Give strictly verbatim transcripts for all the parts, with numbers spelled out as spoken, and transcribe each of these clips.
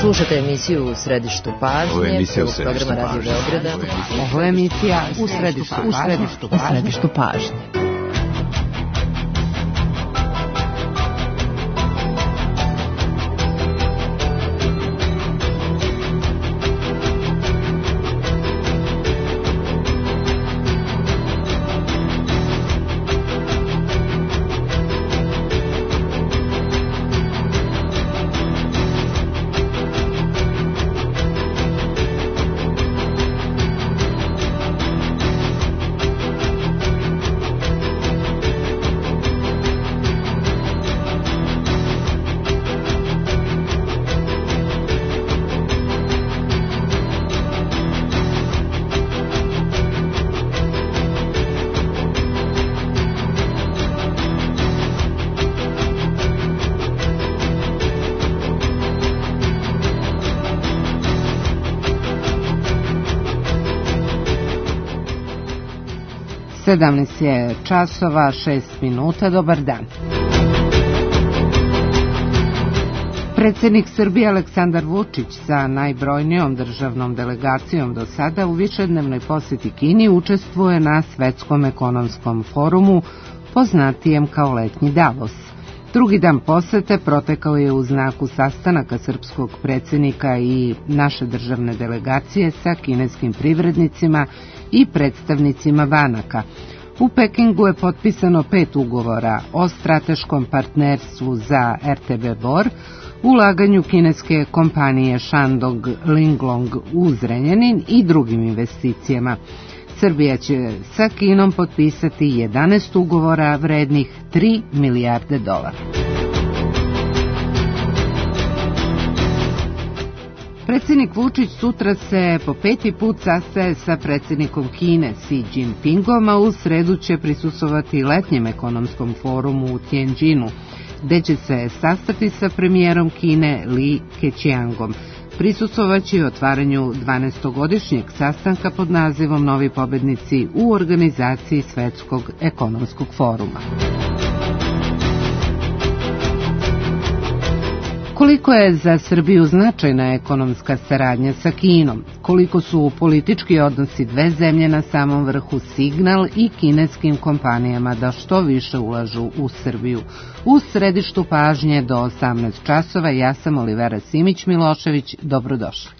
Slušate emisiju U središtu pažnje. Ovo je emisija U središtu pažnje. Ovo je emisija U središtu pažnje. U središtu pažnje. sedamnaest je časova, šest minuta, dobar dan. Predsjednik Srbije Aleksandar Vučić sa najbrojnijom državnom delegacijom do sada u višednevnoj posjeti Kini učestvuje na Svetskom ekonomskom forumu, poznatijem kao letnji Davos. Drugi dan posete protekao je u znaku sastanaka srpskog predsjednika i naše državne delegacije sa kineskim privrednicima i predstavnicima banaka. U Pekingu je potpisano pet ugovora o strateškom partnerstvu za R T B Bor, ulaganju kineske kompanije Shandong Linglong u Zrenjanin i drugim investicijama. Srbija će sa Kinom potpisati jedanaest ugovora vrednih tri milijarde dolara. Predsjednik Vučić sutra se po peti put sastaje sa predsjednikom Kine Xi Jinpingom, a u sredu će prisustvovati letnjem ekonomskom forumu u Tianjinu, gde će se sastati sa premijerom Kine Li Keqiangom. Prisustvovaće i otvaranju dvanaestogodišnjeg sastanka pod nazivom Novi pobednici u organizaciji Svetskog ekonomskog foruma. Koliko je za Srbiju značajna ekonomska saradnja sa Kinom? Koliko su politički odnosi dve zemlje na samom vrhu signal i kineskim kompanijama da što više ulažu u Srbiju? U središtu pažnje do osamnaest časova, ja sam Olivera Simić-Milošević, dobrodošli.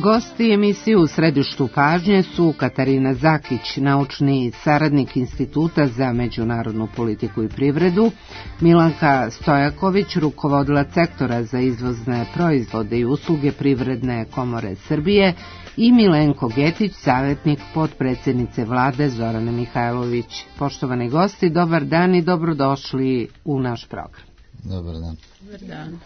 Gosti emisije U središtu pažnje su Katarina Zakić, naučni saradnik Instituta za međunarodnu politiku i privredu, Milanka Stojaković, rukovodilac sektora za izvozne proizvode i usluge Privredne komore Srbije i Milenko Getić, savjetnik potpredsjednice vlade Zorane Mihajlović. Poštovani gosti, dobar dan i dobrodošli u naš program. Dobar dan. Dobar dan.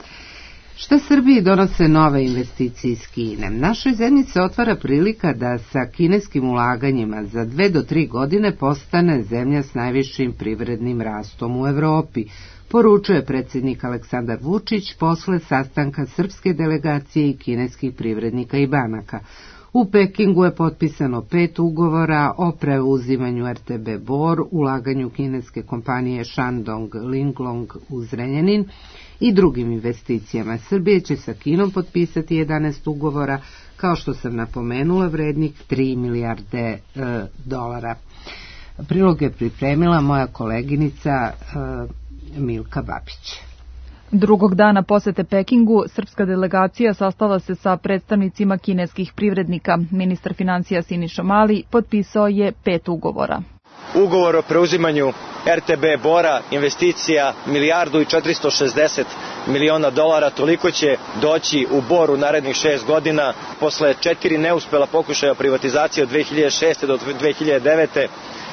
Šta Srbiji donose nove investicije iz Kine? Našoj zemlji se otvara prilika da sa kineskim ulaganjima za dve do tri godine postane zemlja s najvišim privrednim rastom u Evropi, poručuje predsjednik Aleksandar Vučić posle sastanka srpske delegacije i kineskih privrednika i banaka. U Pekingu je potpisano pet ugovora o preuzimanju R T B Bor, ulaganju kineske kompanije Shandong Linglong u Zrenjanin i drugim investicijama. Srbija će sa Kinom potpisati jedanaest ugovora, kao što sam napomenula, vrednih tri milijarde e, dolara. Prilog je pripremila moja koleginica e, Milka Babić. Drugog dana posete Pekingu, srpska delegacija sastala se sa predstavnicima kineskih privrednika. Ministar financija Siniša Mali potpisao je pet ugovora. Ugovor o preuzimanju R T B Bora, investicija milijardu i četiristo šezdeset miliona dolara, toliko će doći u Bor u narednih šest godina. Posle četiri neuspela pokušaja privatizacije od dve hiljade šeste do dve hiljade devete.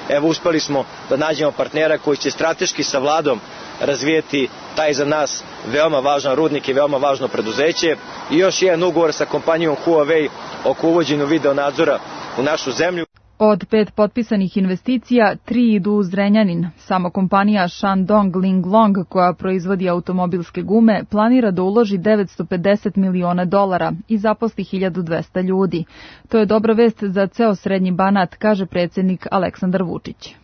evo uspeli smo da nađemo partnera koji će strateški sa vladom razvijeti taj za nas veoma važan rudnik i veoma važno preduzeće. I još jedan ugovor sa kompanijom Huawei oko uvođenja video nadzora u našu zemlju. Od pet potpisanih investicija, tri idu u Zrenjanin. Samo kompanija Shandong Linglong, koja proizvodi automobilske gume, planira da uloži devetsto pedeset miliona dolara i zaposli hiljadu dvesta ljudi. To je dobra vest za ceo Srednji Banat, kaže predsjednik Aleksandar Vučić.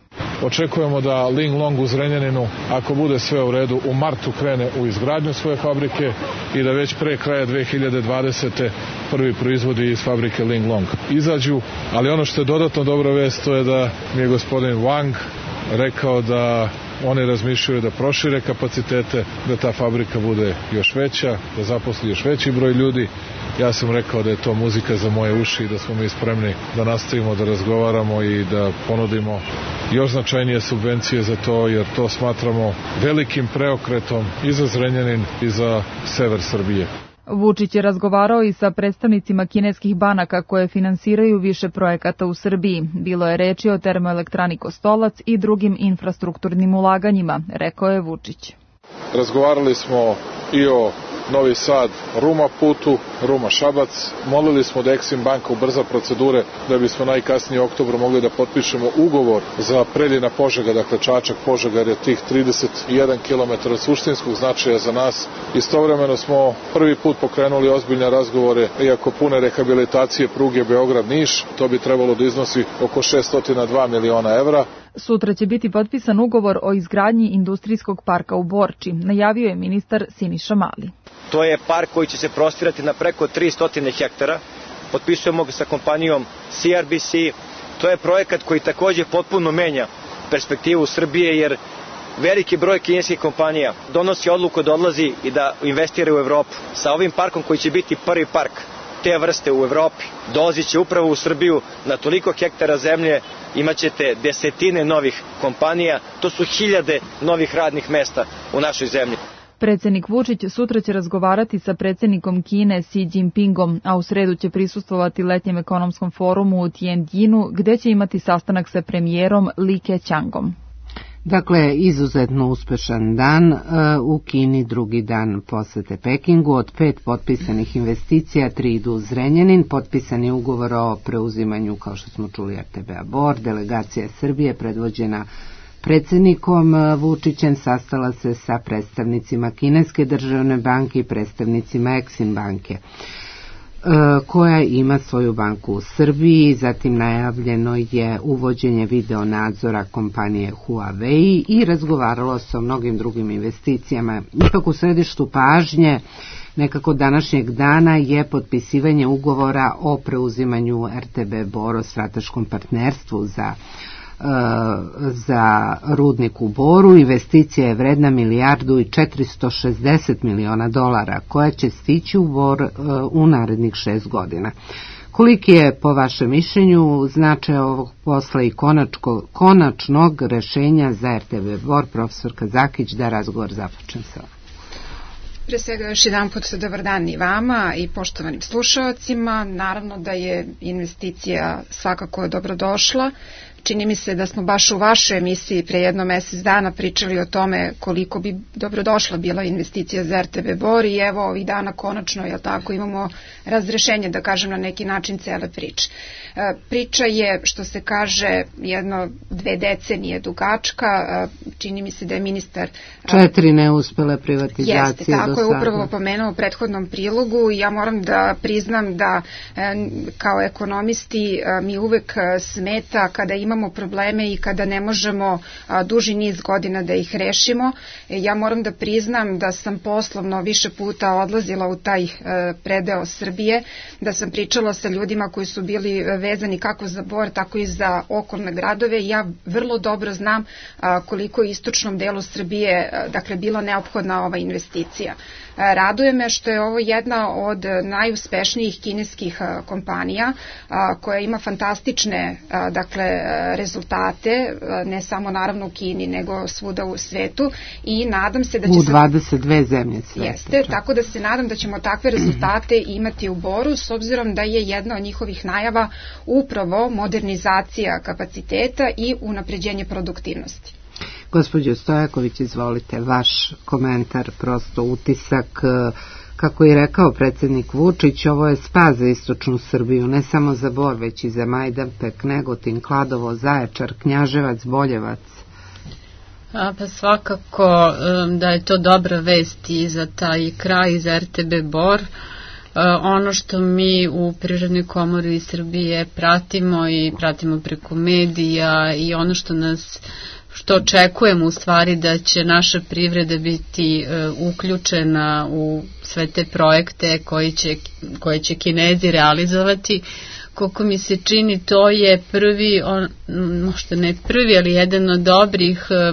Očekujemo da Linglong u Zrenjaninu, ako bude sve u redu, u martu krene u izgradnju svoje fabrike i da već pre kraja dve hiljade dvadesete. prvi proizvodi iz fabrike Linglong izađu. Ali ono što je dodatno dobra vest, to je da mi je gospodin Wang rekao da oni razmišljaju da prošire kapacitete, da ta fabrika bude još veća, da zaposli još veći broj ljudi. Ja sam rekao da je to muzika za moje uši i da smo mi spremni da nastavimo da razgovaramo i da ponudimo još značajnije subvencije za to, jer to smatramo velikim preokretom i za Zrenjanin i za sever Srbije. Vučić je razgovarao i sa predstavnicima kineskih banaka koje finansiraju više projekata u Srbiji. Bilo je reči o termoelektrani Kostolac i drugim infrastrukturnim ulaganjima, rekao je Vučić. Razgovarali smo i o Novi Sad, Ruma putu, Ruma Šabac. Molili smo da Eksim banka ubrza procedure da bismo najkasnije u oktobru mogli da potpišemo ugovor za Preljina Požega, dakle Čačak Požega, jer je tih trideset jedan kilometar suštinskog značaja za nas. Istovremeno smo prvi put pokrenuli ozbiljne razgovore i oko pune rehabilitacije pruge Beograd-Niš. To bi trebalo da iznosi oko šesto dva miliona evra. Sutra će biti potpisan ugovor o izgradnji industrijskog parka u Borči, najavio je ministar Siniša Mali. To je park koji će se prostirati na preko tristo hektara. Potpisujemo ga sa kompanijom C R B C. To je projekat koji takođe potpuno menja perspektivu Srbije, jer veliki broj kineskih kompanija donosi odluku da odlazi i da investira u Evropu. Sa ovim parkom koji će biti prvi park te vrste u Evropi, dolazit će upravo u Srbiju na toliko hektara zemlje, imaćete desetine novih kompanija, to su hiljade novih radnih mesta u našoj zemlji. Predsjednik Vučić sutra će razgovarati sa predsjednikom Kine Xi Jinpingom, a u sredu će prisustvovati letnjem ekonomskom forumu u Tianjinu, gde će imati sastanak sa premijerom Li Keqiangom. Dakle, izuzetno uspešan dan u Kini, drugi dan posete Pekingu. Od pet potpisanih investicija, tri idu u Zrenjanin, potpisan je ugovor o preuzimanju, kao što smo čuli, R T B-a Bor. Delegacija Srbije, predvođena predsjednikom Vučićem, sastala se sa predstavnicima Kineske državne banke i predstavnicima Eksim banke, koja ima svoju banku u Srbiji. Zatim najavljeno je uvođenje video nadzora kompanije Huawei i razgovaralo se o mnogim drugim investicijama. Ipak u središtu pažnje nekako današnjeg dana je potpisivanje ugovora o preuzimanju R T B Bor, o strateškom partnerstvu za za rudnik u Boru. Investicija je vredna milijardu i četiristo šezdeset miliona dolara, koja će stići u Bor u narednih šest godina. Koliki je, po vašem mišljenju, značaj ovog posla i konačko, konačnog rešenja za R T B Bor? Profesorka Zakić, da razgovor započnem sa ovim. Pre svega još jedan put dobar dan i vama i poštovanim slušalcima. Naravno da je investicija svakako dobrodošla. Čini mi se da smo baš u vašoj emisiji pre jedno mesec dana pričali o tome koliko bi dobrodošla bila investicija za R T B Bor i evo ovih dana konačno, jel tako, imamo razrešenje, da kažem, na neki način cele priče. Priča je, što se kaže, jedno dve decenije dugačka. Čini mi se da je ministar... Četiri neuspele privatizacije do sada. Jeste, tako je upravo pomenuo u prethodnom prilogu i ja moram da priznam da kao ekonomisti mi uvek smeta kada imamo probleme i kada ne možemo duži niz godina da ih rešimo. Ja moram da priznam da sam poslovno više puta odlazila u taj predeo Srbije, da sam pričala sa ljudima koji su bili vezani kako za Bor, tako i za okolne gradove. Ja vrlo dobro znam koliko je istočnom delu Srbije, dakle, bila neophodna ova investicija. Raduje me što je ovo jedna od najuspešnijih kineskih kompanija koja ima fantastične, dakle, rezultate, ne samo naravno u Kini, nego svuda u svetu i nadam se da će... U dvadeset dve zemlje sveta. Jeste, tako da se nadam da ćemo takve rezultate imati u Boru, s obzirom da je jedna od njihovih najava upravo modernizacija kapaciteta i unapređenje produktivnosti. Gospođo Stojaković, izvolite, vaš komentar, prosto utisak. Kako je rekao predsjednik Vučić, ovo je spas za istočnu Srbiju, ne samo za Bor, već i za Majdanpek, Negotin, Kladovo, Zaječar, Knjaževac, Boljevac. A, pa svakako da je to dobra vest i za taj kraj, za er te be Bor. Ono što mi u Privrednoj komori Srbije pratimo i pratimo preko medija i ono što nas što očekujemo u stvari da će naša privreda biti e, uključena u sve te projekte koji će, koje će Kinezi realizovati. Koliko mi se čini, to je prvi, on, možda ne prvi, ali jedan od dobrih e,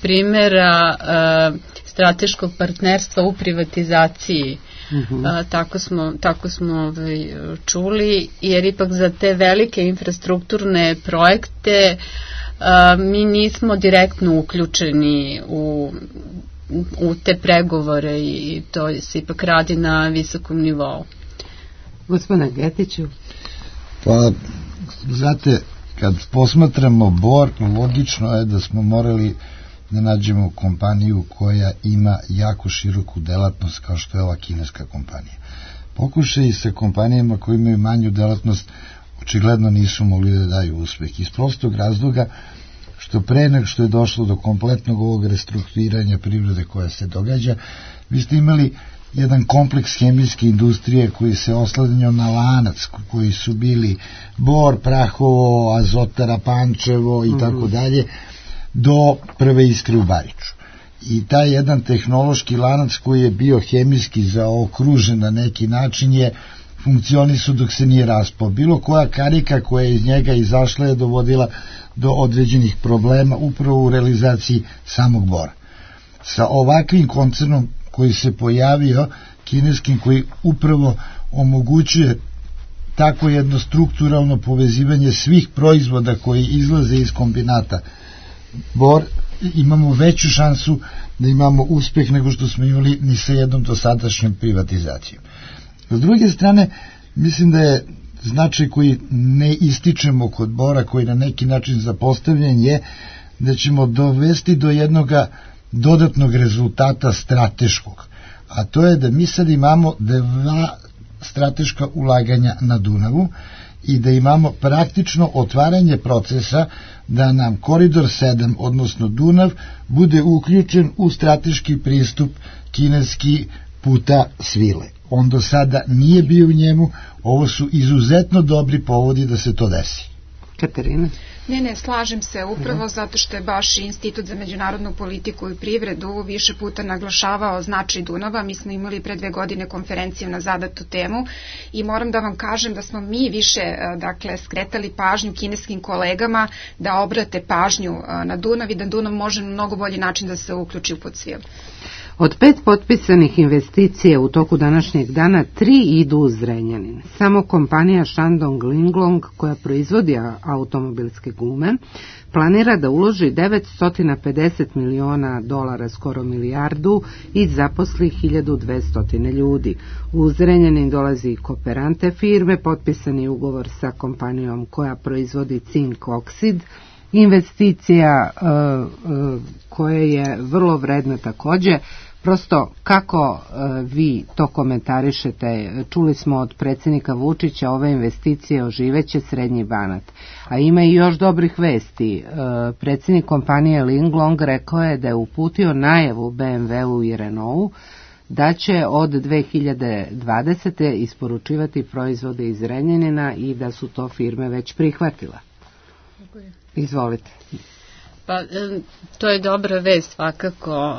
primjera e, strateškog partnerstva u privatizaciji. Uh-huh. A, tako smo, tako smo ovaj, čuli, jer ipak za te velike infrastrukturne projekte a, mi nismo direktno uključeni u, u te pregovore i to se ipak radi na visokom nivou. Gospodine Getiću. Pa, znate, kad posmatramo Bor, logično je da smo morali da nađemo kompaniju koja ima jako široku delatnost kao što je ova kineska kompanija. Pokušaj sa kompanijama koji imaju manju delatnost očigledno nisu mogli da daju uspeh. Iz prostog razloga što pre nego što je došlo do kompletnog ovog restrukturiranja privrede koja se događa, vi ste imali jedan kompleks hemijske industrije koji se oslanjao na lanac, koji su bili Bor, Prahovo, Azotara, Pančevo i tako dalje, do prve iskre u Bariču. I taj jedan tehnološki lanac koji je bio hemijski zaokružen na neki način je funkcionisu dok se nije raspao. Bilo koja karika koja je iz njega izašla je dovodila do određenih problema upravo u realizaciji samog Bora. Sa ovakvim koncernom koji se pojavio, kineskim, koji upravo omogućuje tako jedno strukturalno povezivanje svih proizvoda koji izlaze iz kombinata Bor, imamo veću šansu da imamo uspeh nego što smo imali ni sa jednom dosadašnjom privatizacijom. S druge strane, mislim da je značaj koji ne ističemo kod Bora, koji na neki način zapostavljen, je da ćemo dovesti do jednog dodatnog rezultata strateškog, a to je da mi sad imamo dva strateška ulaganja na Dunavu i da imamo praktično otvaranje procesa da nam koridor sedam, odnosno Dunav, bude uključen u strateški pristup kineski puta svile. On do sada nije bio u njemu, ovo su izuzetno dobri povodi da se to desi. Katarina? Ne, ne, slažem se upravo zato što je baš Institut za međunarodnu politiku i privredu više puta naglašavao značaj Dunava. Mi smo imali pre dve godine konferenciju na zadatu temu i moram da vam kažem da smo mi više dakle, skretali pažnju kineskim kolegama da obrate pažnju na Dunav i da Dunav može na mnogo bolji način da se uključi u Podsvil. Od pet potpisanih investicija u toku današnjeg dana, tri idu u Zrenjanin. Samo kompanija Shandong Linglong, koja proizvodi automobilske gume, planira da uloži devetsto pedeset miliona dolara, skoro milijardu, i zaposli hiljadu dvesta ljudi. U Zrenjanin dolazi i kooperante firme, potpisani ugovor sa kompanijom koja proizvodi cink oksid, investicija uh, uh, koja je vrlo vredna takođe. Prosto kako uh, vi to komentarišete? Čuli smo od predsjednika Vučića, ove investicije oživeće Srednji Banat, a ima i još dobrih vesti. Uh, predsjednik kompanije Linglong rekao je da je uputio najavu be em ve-u i Renaultu da će od dve hiljade dvadesete. isporučivati proizvode iz Zrenjanina i da su to firme već prihvatila. Izvolite. Pa, to je dobra vest svakako,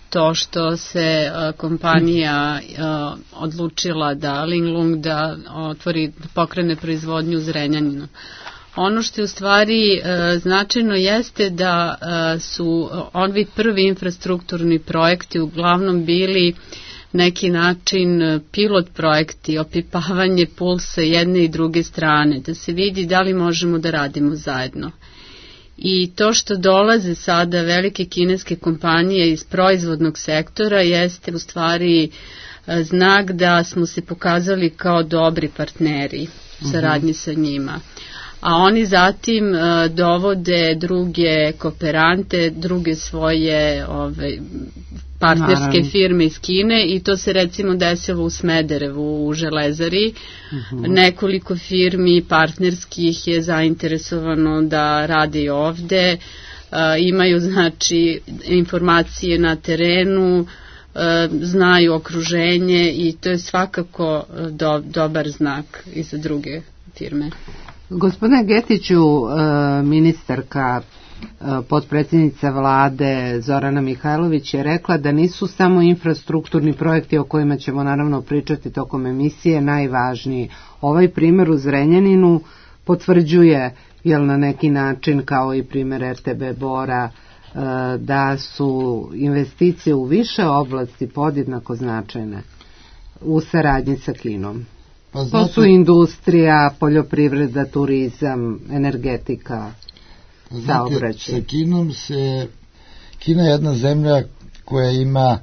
to što se kompanija odlučila da Linglong da otvori, pokrene proizvodnju u Zrenjaninu. Ono što je u stvari značajno jeste da su ovi prvi infrastrukturni projekti uglavnom bili neki način pilot projekti, opipavanje pulsa jedne i druge strane, da se vidi da li možemo da radimo zajedno. I to što dolaze sada velike kineske kompanije iz proizvodnog sektora jeste u stvari znak da smo se pokazali kao dobri partneri u saradnji sa njima. A oni zatim uh, dovode druge kooperante, druge svoje ove, partnerske Naravno. firme iz Kine i to se recimo desilo u Smederevu u Železari. Uh-huh. Nekoliko firmi partnerskih je zainteresovano da rade i ovde, uh, imaju znači informacije na terenu, uh, znaju okruženje i to je svakako do, dobar znak i za druge firme. Gospodine Getiću, ministarka, potpredsjednica vlade Zorana Mihajlović je rekla da nisu samo infrastrukturni projekti o kojima ćemo naravno pričati tokom emisije najvažniji. Ovaj primer u Zrenjaninu potvrđuje, jel na neki način kao i primer R T B Bora, da su investicije u više oblasti podjednako značajne u saradnji sa Kinom. Pa znate, to su industrija, poljoprivreda, turizam, energetika, saobraćaj. Sa Kinom se, Kina je jedna zemlja koja ima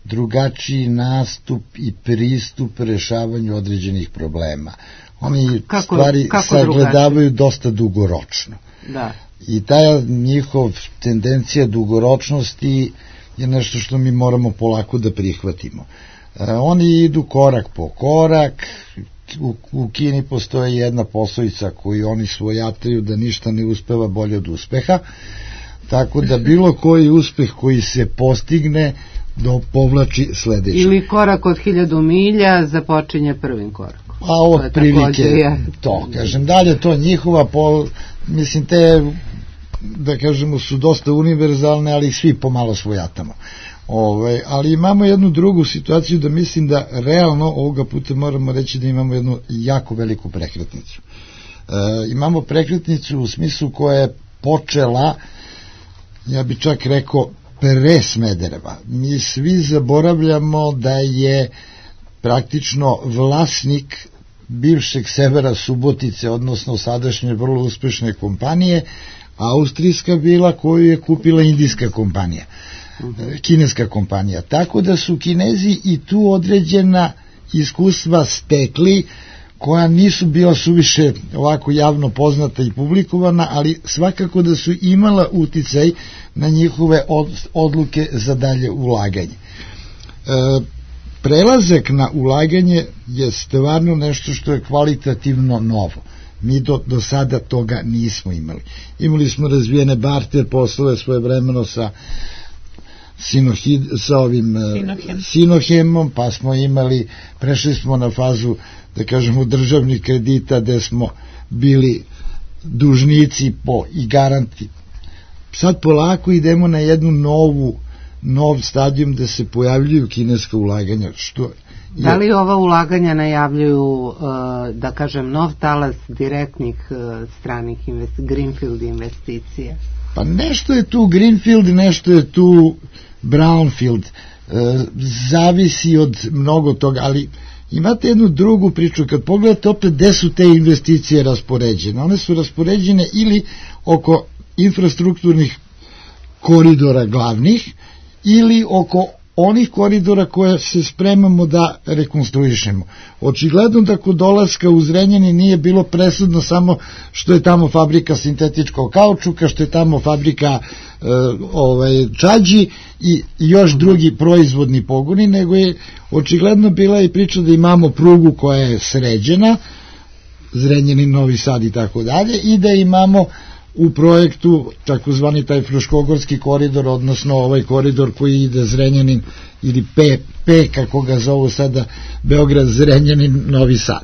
drugačiji nastup i pristup rešavanju određenih problema. Oni kako, stvari kako sagledavaju drugačiji? Dosta dugoročno. Da. I ta njihov tendencija dugoročnosti je nešto što mi moramo polako da prihvatimo. Oni idu korak po korak, u, u Kini postoji jedna poslovica koju oni svojataju da ništa ne uspeva bolje od uspeha, tako da bilo koji uspeh koji se postigne do povlači sledeći. Ili korak od hiljadu milja započinje prvim korakom. A od prilike je... to, kažem, dalje to njihova, po, mislim te, da kažemo, su dosta univerzalne, ali svi pomalo svojatamo. Ove, ali imamo jednu drugu situaciju da mislim da realno ovoga puta moramo reći da imamo jednu jako veliku prekretnicu. E, imamo prekretnicu u smislu koja je počela, ja bi čak rekao, pre Smedereva. Mi svi zaboravljamo da je praktično vlasnik bivšeg Severa Subotice, odnosno sadašnje vrlo uspešne kompanije, austrijska bila koju je kupila indijska kompanija. Kineska kompanija, tako da su Kinezi i tu određena iskustva stekli koja nisu bila suviše ovako javno poznata i publikovana, ali svakako da su imala uticaj na njihove odluke za dalje ulaganje. E, prelazak na ulaganje je stvarno nešto što je kvalitativno novo. Mi do, do sada toga nismo imali. Imali smo razvijene barter poslove svoje vremeno sa Sinohid, sa ovim Sinohem. Sinohemom, pa smo imali, prešli smo na fazu, da kažemo, državnih kredita gde smo bili dužnici po i garanti. Sad polako idemo na jednu novu, nov stadijum da se pojavljuju kineska ulaganja. Što je... Da li ova ulaganja najavljuju, da kažem, nov talas direktnih stranih investi- greenfield investicija? Pa nešto je tu greenfield, nešto je tu brownfield, e, zavisi od mnogo toga, ali imate jednu drugu priču, kad pogledate opet gde su te investicije raspoređene, one su raspoređene ili oko infrastrukturnih koridora glavnih ili oko onih koridora koje se spremamo da rekonstruišemo. Očigledno da kod dolaska u Zrenjanin nije bilo presudno samo što je tamo fabrika sintetičkog kaučuka, što je tamo fabrika e, ovaj, čađi i još drugi proizvodni pogoni, nego je očigledno bila i priča da imamo prugu koja je sređena, Zrenjanin, Novi Sad i tako dalje, i da imamo u projektu takozvani taj Fruškogorski koridor, odnosno ovaj koridor koji ide Zrenjanin ili P, P kako ga zovu sada, Beograd, Zrenjanin, Novi Sad.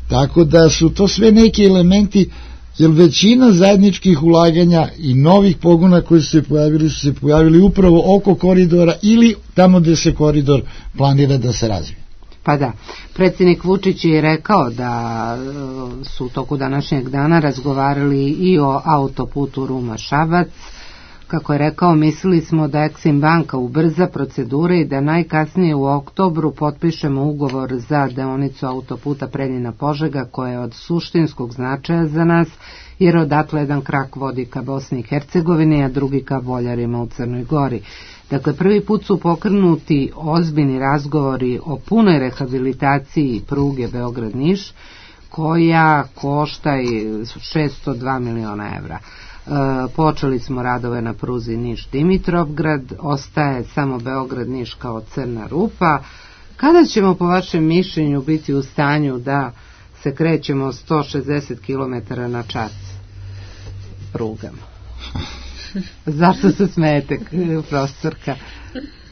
Tako da su to sve neki elementi, jer većina zajedničkih ulaganja i novih pogona koji su se pojavili su se pojavili upravo oko koridora ili tamo gde se koridor planira da se razvije. Pa da, predsjednik Vučić je rekao da su u toku današnjeg dana razgovarali i o autoputu Ruma-Šabac, Kako je rekao, mislili smo da Eksim banka ubrza procedure i da najkasnije u oktobru potpišemo ugovor za deonicu autoputa Preljina-Požega, koja je od suštinskog značaja za nas, jer odatle jedan krak vodi ka Bosni i Hercegovini, a drugi ka Boljarima u Crnoj Gori. Dakle, prvi put su pokrenuti ozbiljni razgovori o punoj rehabilitaciji pruge Beograd-Niš, koja košta šesto dva miliona evra. E, počeli smo radove na pruzi Niš-Dimitrovgrad, ostaje samo Beograd-Niš kao crna rupa. Kada ćemo po vašem mišljenju biti u stanju da se krećemo sto šezdeset kilometara na čas prugama? Zašto se smijete, profesorka?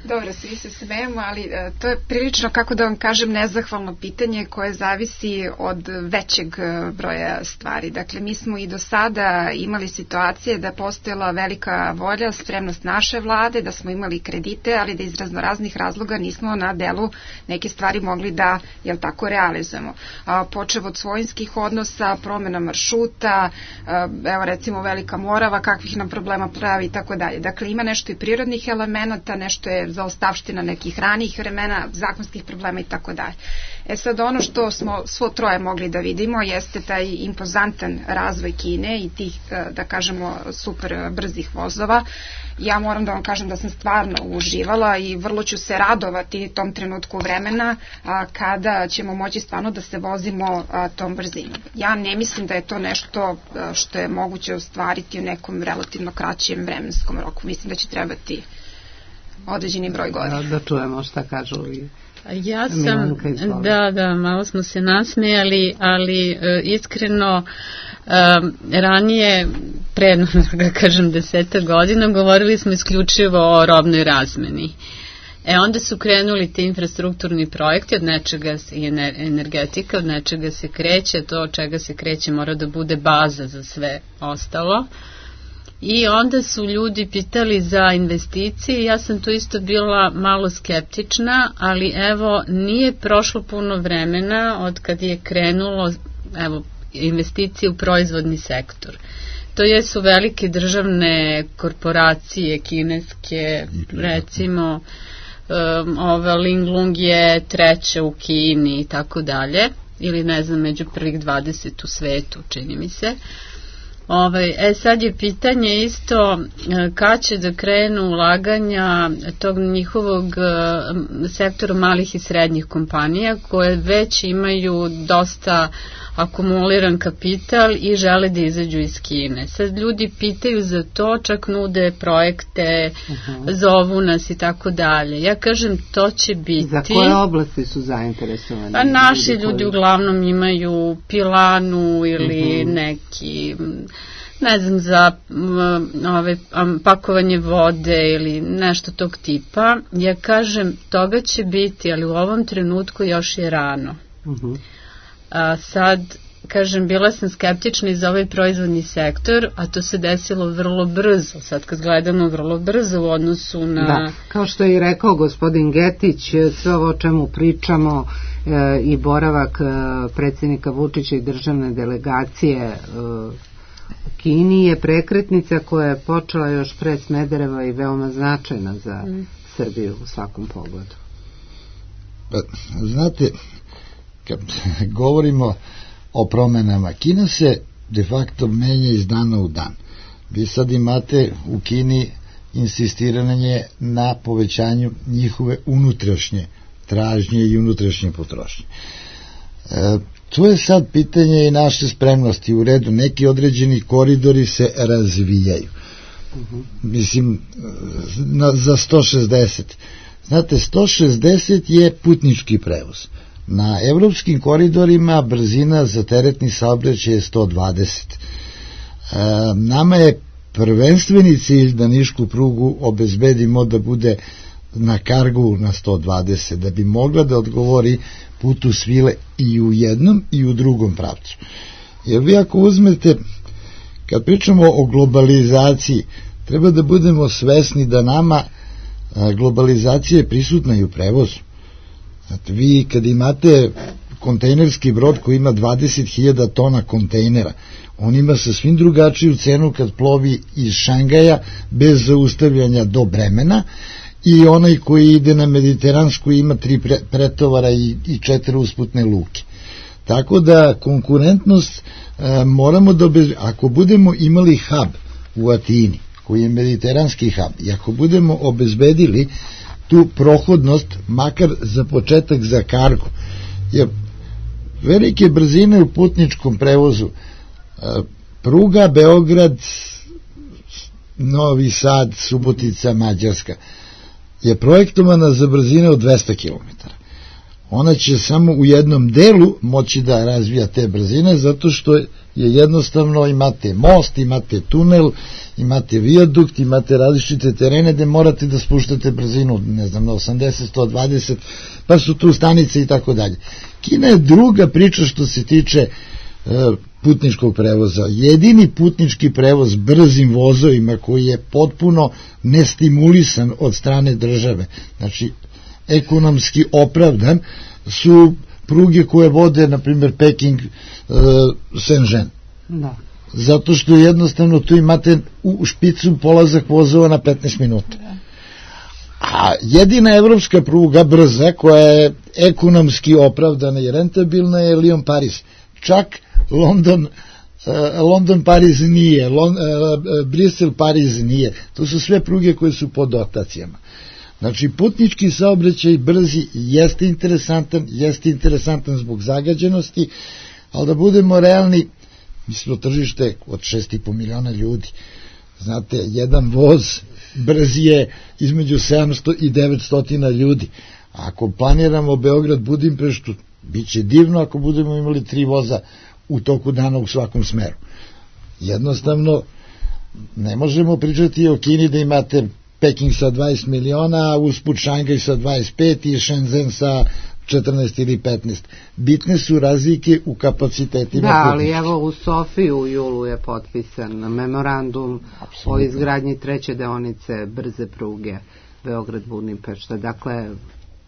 Dobro, svi se smejemo, ali e, to je prilično, kako da vam kažem, nezahvalno pitanje koje zavisi od većeg broja stvari. Dakle, mi smo i do sada imali situacije da postojala velika volja, spremnost naše vlade, da smo imali kredite, ali da iz raznoraznih razloga nismo na delu neke stvari mogli da, jel tako, realizujemo. A, počev od svojinskih odnosa, promjena maršruta, a, evo recimo Velika Morava, kakvih nam problema pravi i tako dalje. Dakle, ima nešto i prirodnih elemenata, nešto je zaostavština nekih ranijih vremena, zakonskih problema i tako dalje. E sad, ono što smo svo troje mogli da vidimo jeste taj impozantan razvoj Kine i tih, da kažemo, super brzih vozova. Ja moram da vam kažem da sam stvarno uživala i vrlo ću se radovati tom trenutku vremena a, kada ćemo moći stvarno da se vozimo a, tom brzinom. Ja ne mislim da je to nešto a, što je moguće ostvariti u nekom relativno kraćem vremenskom roku. Mislim da će trebati određeni broj godina. Da, da čujemo šta kažu i ja sam, da, da, malo smo se nasmejali, ali e, iskreno e, ranije, pre, da kažem, deseta godina, govorili smo isključivo o robnoj razmeni. E onda su krenuli ti infrastrukturni projekti, od nečega i energetika, od nečega se kreće, to od čega se kreće mora da bude baza za sve ostalo. I onda su ljudi pitali za investicije, ja sam tu isto bila malo skeptična, ali evo nije prošlo puno vremena od kad je krenulo evo, investicije u proizvodni sektor. To jesu velike državne korporacije, kineske, recimo um, ova Linglong je treća u Kini i tako dalje, ili ne znam, među prvih dvadeset u svetu, čini mi se. Ovaj, e sad je pitanje isto kad će da krenu ulaganja tog njihovog sektora malih i srednjih kompanija koje već imaju dosta akumuliran kapital i žele da izađu iz Kine. Sad ljudi pitaju za to, čak nude projekte, uh-huh. zovu nas i tako dalje. Ja kažem, to će biti... Za koje oblasti su zainteresovani? A naši ljudi, ljudi uglavnom imaju pilanu ili uh-huh. neki... ne znam, za ove, pakovanje vode ili nešto tog tipa. Ja kažem, toga će biti, ali u ovom trenutku još je rano. Uh-huh. A sad, kažem, bila sam skeptična i za ovaj proizvodni sektor, a to se desilo vrlo brzo, sad kad gledamo vrlo brzo u odnosu na... Da, kao što je i rekao gospodin Getić, sve ovo o čemu pričamo e, i boravak e, predsjednika Vučića i državne delegacije e, u Kini je prekretnica koja je počela još pre Smedereva i veoma značajna za mm. Srbiju u svakom pogledu. Pa, znate, kad govorimo o promenama, Kina se de facto menja iz dana u dan. Vi sad imate u Kini insistiranje na povećanju njihove unutrašnje tražnje i unutrašnje potrošnje. E, to je sad pitanje i naše spremnosti. U redu, neki određeni koridori se razvijaju. Uh-huh. Mislim, na, za sto šezdeset. Znate, sto šezdeset je putnički prevoz. Na evropskim koridorima brzina za teretni saobraćaj je sto dvadeset. E, nama je prvenstveni cilj da nišku prugu obezbedimo da bude na kargu na sto dvadeset, da bi mogla da odgovori putu svile i u jednom i u drugom pravcu. Jer vi ako uzmete, kad pričamo o globalizaciji, treba da budemo svesni da nama globalizacija je prisutna i u prevozu. Znate, vi kad imate kontejnerski brod koji ima dvadeset hiljada tona kontejnera. On ima sasvim drugačiju cenu kad plovi iz Šangaja bez zaustavljanja do Bremena, i onaj koji ide na Mediteransku ima tri pre, pretovara i, i četiri usputne luke. Tako da konkurentnost e, moramo da obez... ako budemo imali hub u Atini, koji je mediteranski hub, i ako budemo obezbedili tu prohodnost, makar za početak za kargo, jer velike brzine u putničkom prevozu, e, pruga Beograd, Novi Sad, Subotica, Mađarska, je projektovana za brzine od dvesta kilometara. Ona će samo u jednom delu moći da razvija te brzine, zato što je jednostavno imate most, imate tunel, imate vijadukt, imate različite terene gde morate da spuštate brzinu, ne znam, na osamdeset, sto dvadeset, pa su tu stanice i tako dalje. Kina je druga priča što se tiče e, putničkog prevoza. Jedini putnički prevoz brzim vozovima koji je potpuno nestimulisan od strane države, znači ekonomski opravdan, su pruge koje vode, na primjer, Peking, uh, Shenzhen. Da. Zato što jednostavno tu imate u špicu polazak vozova na petnaest minuta. A jedina evropska pruga brza koja je ekonomski opravdana i rentabilna je Lyon-Paris. Čak London uh, London Pariz nije, Lon, uh, Brisel Pariz nije. To su sve pruge koje su pod dotacijama. Znači, putnički saobraćaj brzi jeste interesantan, jeste interesantan zbog zagađenosti, ali da budemo realni, mi smo tržište od šest i po miliona ljudi. Znate, jedan voz brzi je između sedamsto i devetsto ljudi. Ako planiramo Beograd, Budimpeštu, bit će divno ako budemo imali tri voza u toku dana u svakom smeru. Jednostavno, ne možemo pričati o Kini da imate Peking sa dvadeset miliona, usput Šangaj sa dvadeset pet i Shenzhen sa četrnaest ili petnaest. Bitne su razlike u kapacitetima. Da, ali evo u Sofiji u julu je potpisan memorandum Absolutno. O izgradnji treće deonice brze pruge Beograd-Budimpešta. Dakle,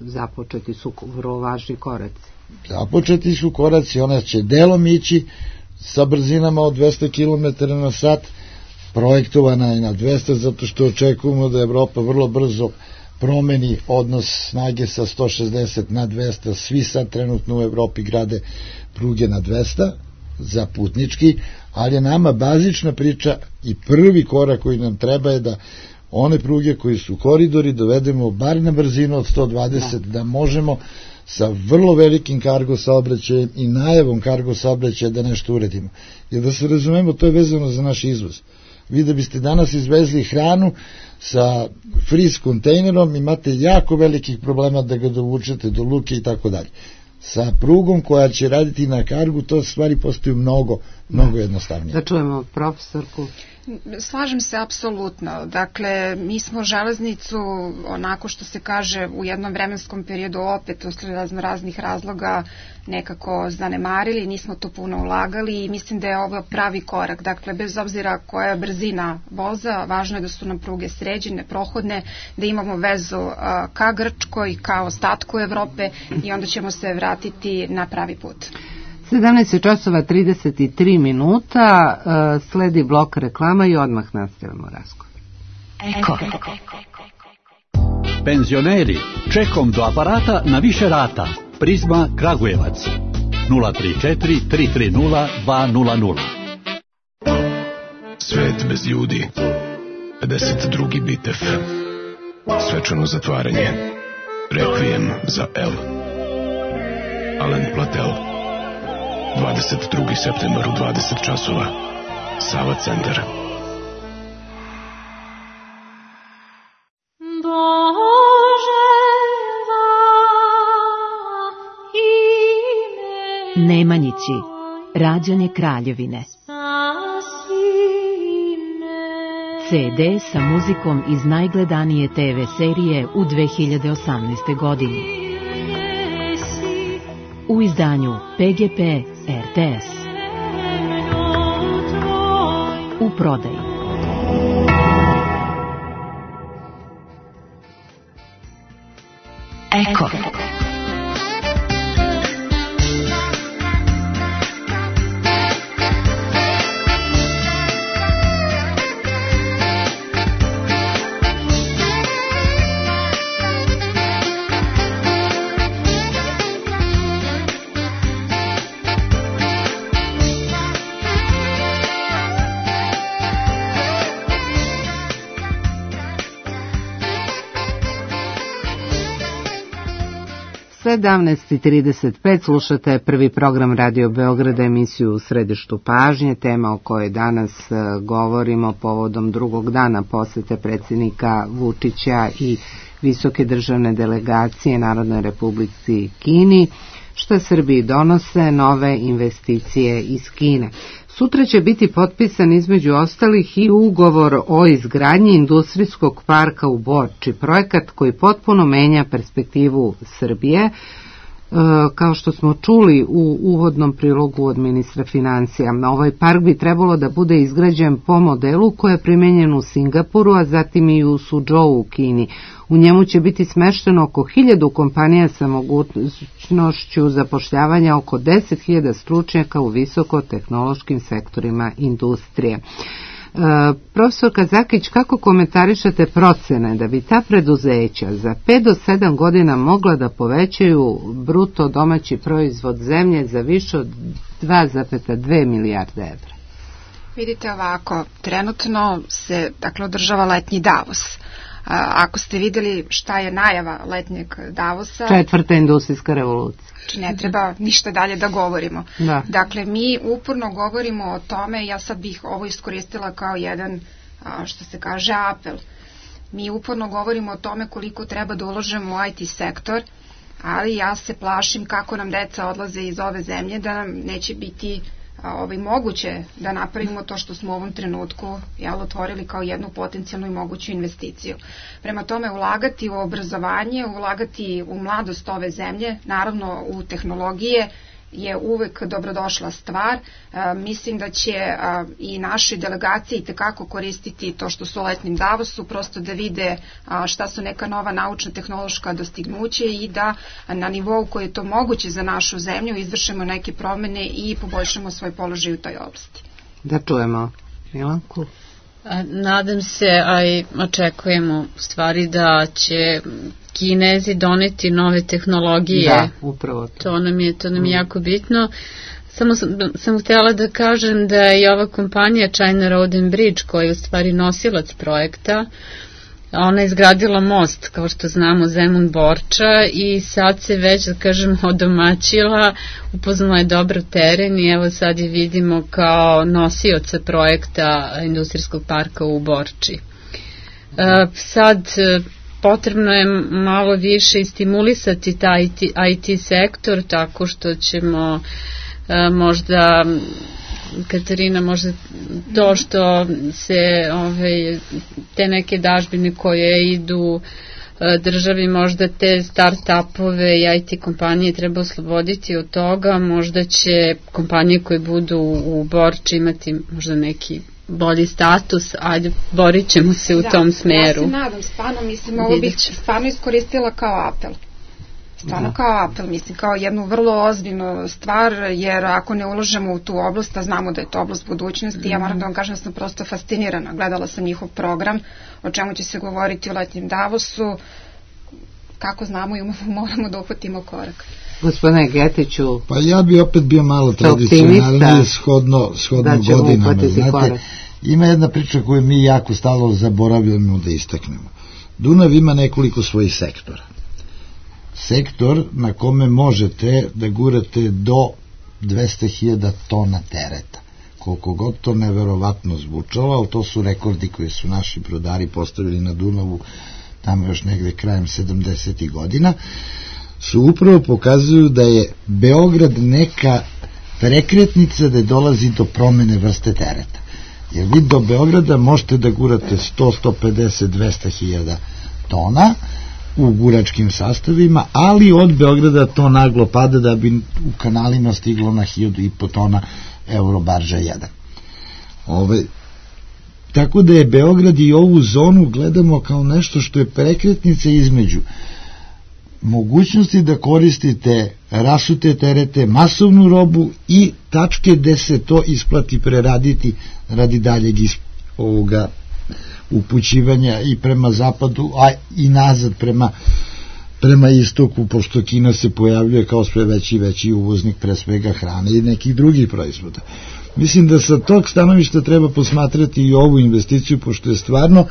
započeti su vrlo važni koraci. Započeti su koraci, ona će delom ići sa brzinama od dvesta kilometara na sat, projektovana je na dvesta, zato što očekujemo da Evropa vrlo brzo promeni odnos snage sa sto šezdeset na dvesta. Svi sad trenutno u Evropi grade pruge na dvesta za putnički, ali je nama bazična priča i prvi korak koji nam treba je da one pruge koji su koridori dovedemo bar na brzinu od sto dvadeset, da, da možemo sa vrlo velikim kargo saobraćajem i najavom kargo saobraćaja da nešto uredimo. Jer da se razumemo, to je vezano za naš izvoz. Vi da biste danas izvezli hranu sa freeze kontejnerom, imate jako velikih problema da ga dovučete do luke i tako dalje. Sa prugom koja će raditi na kargu, to stvari postaju mnogo, mnogo jednostavnije. Da čujemo profesorku. Slažem se apsolutno. Dakle, mi smo železnicu, onako što se kaže, u jednom vremenskom periodu opet usled raznih razloga nekako zanemarili, nismo to puno ulagali i mislim da je ovo pravi korak. Dakle, bez obzira koja je brzina voza, važno je da su nam pruge sređene, prohodne, da imamo vezu ka Grčkoj, ka ostatku Evrope i onda ćemo se vratiti na pravi put. sedamnaest časova trideset tri minuta, sledi blok reklama i odmah nastavljamo razgovor. Eko. Penzioneri, čekom do aparata na više rata. Prizma Kragujevac. nula tri četiri tri tri nula dva nula nula. Svet bez ljudi. pedeset drugi bitev. Svečano zatvaranje. Rekvijem za El. Alen Platel. dvadeset drugi septembar u dvadeset časova. Sava centar. Nemanjići, rađanje Kraljevine. ce de sa muzikom iz najgledanije te ve serije u dve hiljade osamnaestoj. godini. U izdanju pe ge pe er te es. U prodaji. Eko. sedamnaest i trideset pet slušate prvi program Radio Beograda, emisiju U središtu pažnje, tema o kojoj danas govorimo povodom drugog dana posete predsjednika Vučića i visoke državne delegacije Narodnoj Republici Kini, što Srbiji donose nove investicije iz Kine. Sutra će biti potpisan između ostalih i ugovor o izgradnji industrijskog parka u Borči, projekat koji potpuno menja perspektivu Srbije. Kao što smo čuli u uvodnom prilogu od ministra financija, ovaj park bi trebalo da bude izgrađen po modelu koji je primenjen u Singapuru, a zatim i u Suzhou u Kini. U njemu će biti smešteno oko hiljadu kompanija sa mogućnošću zapošljavanja oko deset hiljada stručnjaka u visokotehnološkim sektorima industrije. E, profesor Kazakić, kako komentarišete procene da bi ta preduzeća za pet do sedam godina mogla da povećaju bruto domaći proizvod zemlje za više od dva zarez dve milijarde evra? Vidite ovako, trenutno se dakle održava letnji Davos. Ako ste videli šta je najava letnjeg Davosa... Četvrta industrijska revolucija. Znači ne treba ništa dalje da govorimo. Da. Dakle, mi uporno govorimo o tome, ja sad bih ovo iskoristila kao jedan, što se kaže, apel. Mi uporno govorimo o tome koliko treba da uložemo u I T sektor, ali ja se plašim kako nam deca odlaze iz ove zemlje, da nam neće biti ovaj, moguće da napravimo to što smo u ovom trenutku jel, otvorili kao jednu potencijalnu i moguću investiciju. Prema tome, ulagati u obrazovanje, ulagati u mladost ove zemlje, naravno u tehnologije, je uvek dobrodošla stvar. E, mislim da će a, i naše delegacije i tekako koristiti to što su u letnjem Davosu, prosto da vide a, šta su neka nova naučno-tehnološka dostignuća i da a, na nivou koji je to moguće za našu zemlju izvršimo neke promene i poboljšamo svoj položaj u toj oblasti. Da čujemo Milanku. Nadam se, a i očekujemo u stvari da će Kinezi doneti nove tehnologije. Da, upravo to. To nam je, to nam je mm. jako bitno. Samo sam, sam htjela da kažem da je ova kompanija China Road and Bridge, koja je u stvari nosilac projekta, ona je izgradila most, kao što znamo, Zemun-Borča, i sad se već, da kažem, odomaćila, upoznala je dobro teren i evo sad je vidimo kao nosioca projekta industrijskog parka u Borči. E, sad potrebno je malo više i stimulisati taj I T sektor tako što ćemo e, možda... Katarina, možda to što se ove, te neke dažbine koje idu državi, možda te start-upove i I T kompanije treba osloboditi od toga, možda će kompanije koje budu u Borči imati možda neki bolji status, ajde, borit ćemo se u da, tom smeru. Ja se nadam, stvarno, mislim, ovo bih stvarno iskoristila kao apel. Stvarno da. Kao apel, mislim, kao jednu vrlo ozbiljnu stvar, jer ako ne uložemo u tu oblast, a znamo da je to oblast budućnosti, mm. ja moram da vam kažem da sam prosto fascinirana. Gledala sam njihov program, o čemu će se govoriti u letnjem Davosu, kako znamo i moramo da uhvatimo korak. Gospodine Getiću, pa ja bi opet bio malo tradicionalniji shodno, shodno da godinama. Znate, ima jedna priča koju mi jako stalo zaboravljamo da istaknemo. Dunav ima nekoliko svojih sektora. Sektor na kome možete da gurate do dvesta hiljada tona tereta. Koliko god to neverovatno zvučalo, ali to su rekordi koji su naši brodari postavili na Dunavu tamo još negde krajem sedamdesetih godina, su upravo pokazuju da je Beograd neka prekretnica da dolazi do promene vrste tereta. Jer vi do Beograda možete da gurate sto, sto pedeset, dvesta hiljada tona u guračkim sastavima, ali od Beograda to naglo pada da bi u kanalima stiglo na hiljadu i po tona Eurobarža jedan. Ove, tako da je Beograd i ovu zonu gledamo kao nešto što je prekretnica između mogućnosti da koristite rasute terete, masovnu robu i tačke gde se to isplati preraditi radi daljeg ovoga upućivanja i prema zapadu, a i nazad prema, prema istoku, pošto Kina se pojavljuje kao sve veći i veći uvoznik pre svega hrane i nekih drugih proizvoda. Mislim da sa tog stanovišta treba posmatrati i ovu investiciju, pošto je stvarno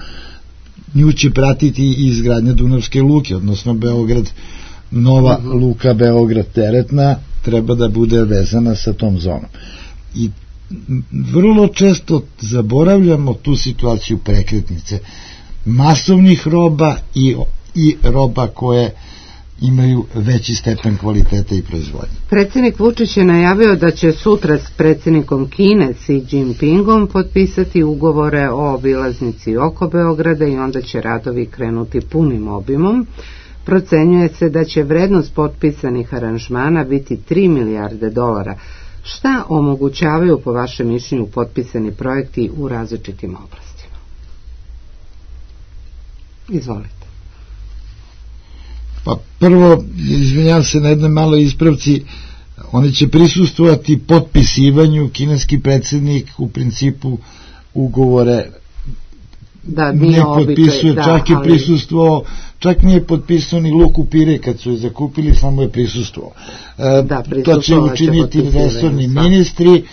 nju će pratiti i izgradnja Dunavske luke, odnosno Beograd nova uh-huh. luka Beograd teretna treba da bude vezana sa tom zonom. I vrlo često zaboravljamo tu situaciju prekretnice masovnih roba i, i roba koje imaju veći stepen kvaliteta i proizvodnje. Predsjednik Vučić je najavio da će sutra s predsjednikom Kine Xi Jinpingom potpisati ugovore o obilaznici oko Beograda i onda će radovi krenuti punim obimom. Procenjuje se da će vrednost potpisanih aranžmana biti tri milijarde dolara. Šta omogućavaju po vašem mišljenju potpisani projekti u različitim oblastima? Izvolite. Pa prvo, izvinjam se na jednoj maloj ispravci, oni će prisustvovati potpisivanju, kineski predsjednik u principu ugovore da, ne potpisuje, da, čak je ali... prisustvovao, čak nije potpisao ni Luku Pire kad su je zakupili, samo je prisustvovao. Da, to će učiniti resorni ministri,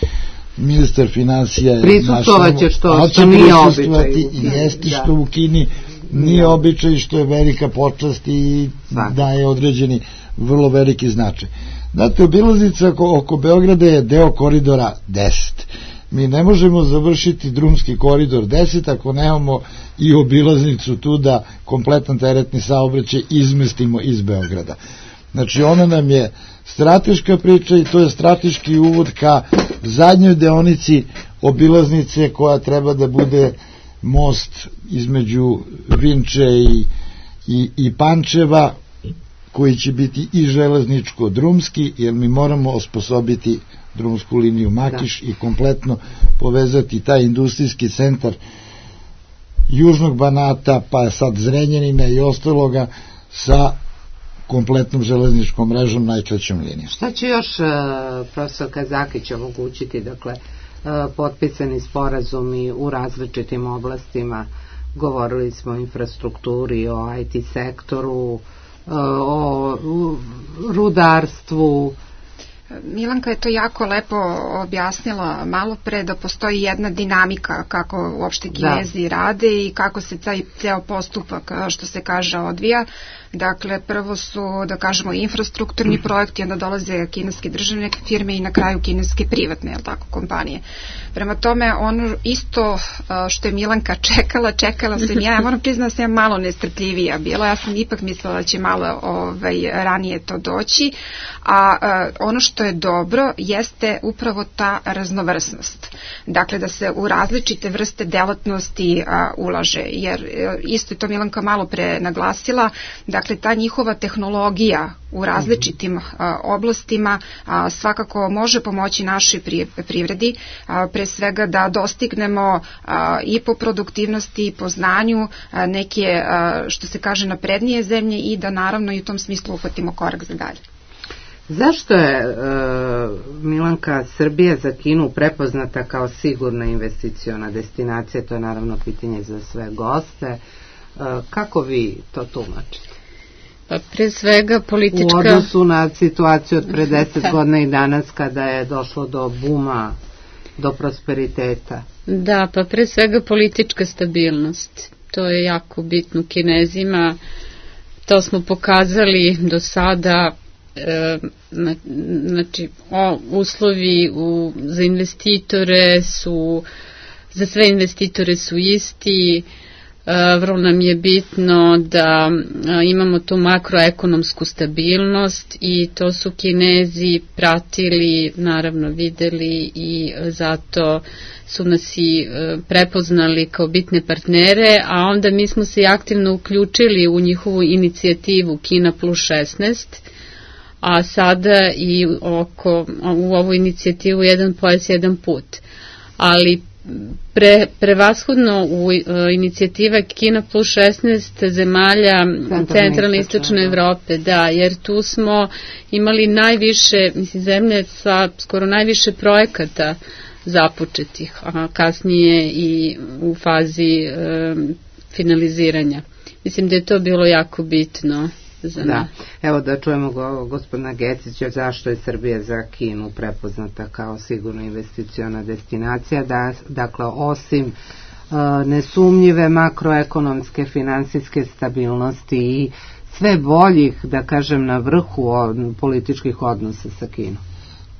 ministar financija je prisustvovaće što, što nije običaj. I jeste što u Kini nije običaj, što je velika počast i daje određeni vrlo veliki značaj. Znate, obilaznica oko, oko Beograda je deo koridora deset. Mi ne možemo završiti drumski koridor deset ako nemamo i obilaznicu tu da kompletan teretni saobraćaj izmestimo iz Beograda. Znači, ona nam je strateška priča i to je strateški uvod ka zadnjoj deonici obilaznice koja treba da bude most između Vinče i, i, i Pančeva, koji će biti i železničko-drumski, jer mi moramo osposobiti drumsku liniju Makiš da. I kompletno povezati taj industrijski centar Južnog Banata, pa sad Zrenjanina i ostaloga sa kompletnom železničkom mrežom, najkraćom linijom. Šta će još uh, profesor Kazakić omogućiti, dakle, uh, potpisani sporazumi u različitim oblastima? Govorili smo o infrastrukturi, o I T sektoru, uh, o rudarstvu. Milanka je to jako lepo objasnila malo pre, da postoji jedna dinamika kako uopšte Kinezi da. Rade i kako se taj ceo postupak, što se kaže, odvija. Dakle, prvo su, da kažemo, infrastrukturni projekti, onda dolaze kineske državne firme i na kraju kineske privatne, jel tako, kompanije. Prema tome, ono isto što je Milanka čekala, čekala sam ja, ja moram priznati da sam ja malo nestrpljivija bila, ja sam ipak mislila da će malo ovaj, ranije to doći, a, a ono što je dobro jeste upravo ta raznovrsnost. Dakle, da se u različite vrste delatnosti a, ulaže, jer isto je to Milanka malo pre naglasila, da dakle, ta njihova tehnologija u različitim a, oblastima a, svakako može pomoći našoj privredi, a, pre svega da dostignemo a, i po produktivnosti i po znanju a, neke, a, što se kaže, naprednije zemlje i da naravno i u tom smislu uhvatimo korak za dalje. Zašto je e, Milanka Srbija za Kinu prepoznata kao sigurna investiciona destinacija? To je naravno pitanje za sve goste. E, kako vi to tumačite? Pa pre svega politička... U odnosu na situaciju od pre deset godina i danas kada je došlo do buma, do prosperiteta. Da, pa pre svega politička stabilnost. To je jako bitno Kinezima. To smo pokazali do sada. E, znači, o, uslovi u, za investitore su, za sve investitore su isti. Vrlo nam je bitno da imamo tu makroekonomsku stabilnost i to su Kinezi pratili, naravno videli i zato su nas i prepoznali kao bitne partnere, a onda mi smo se aktivno uključili u njihovu inicijativu Kina plus šesnaest, a sada i oko, u ovu inicijativu jedan pojas, jedan put. Ali Pre, prevashodno u uh, inicijativa Kina plus šesnaest zemalja centralne i istočne Evrope, da, jer tu smo imali najviše, mislim, zemlje sa skoro najviše projekata započetih, a kasnije i u fazi uh, finaliziranja. Mislim da je to bilo jako bitno za da. Evo da čujemo go, gospodina Gecića, zašto je Srbija za Kinu prepoznata kao sigurno investiciona destinacija, da, dakle osim uh, nesumnjive makroekonomske finansijske stabilnosti i sve boljih, da kažem, na vrhu političkih odnosa sa Kinom?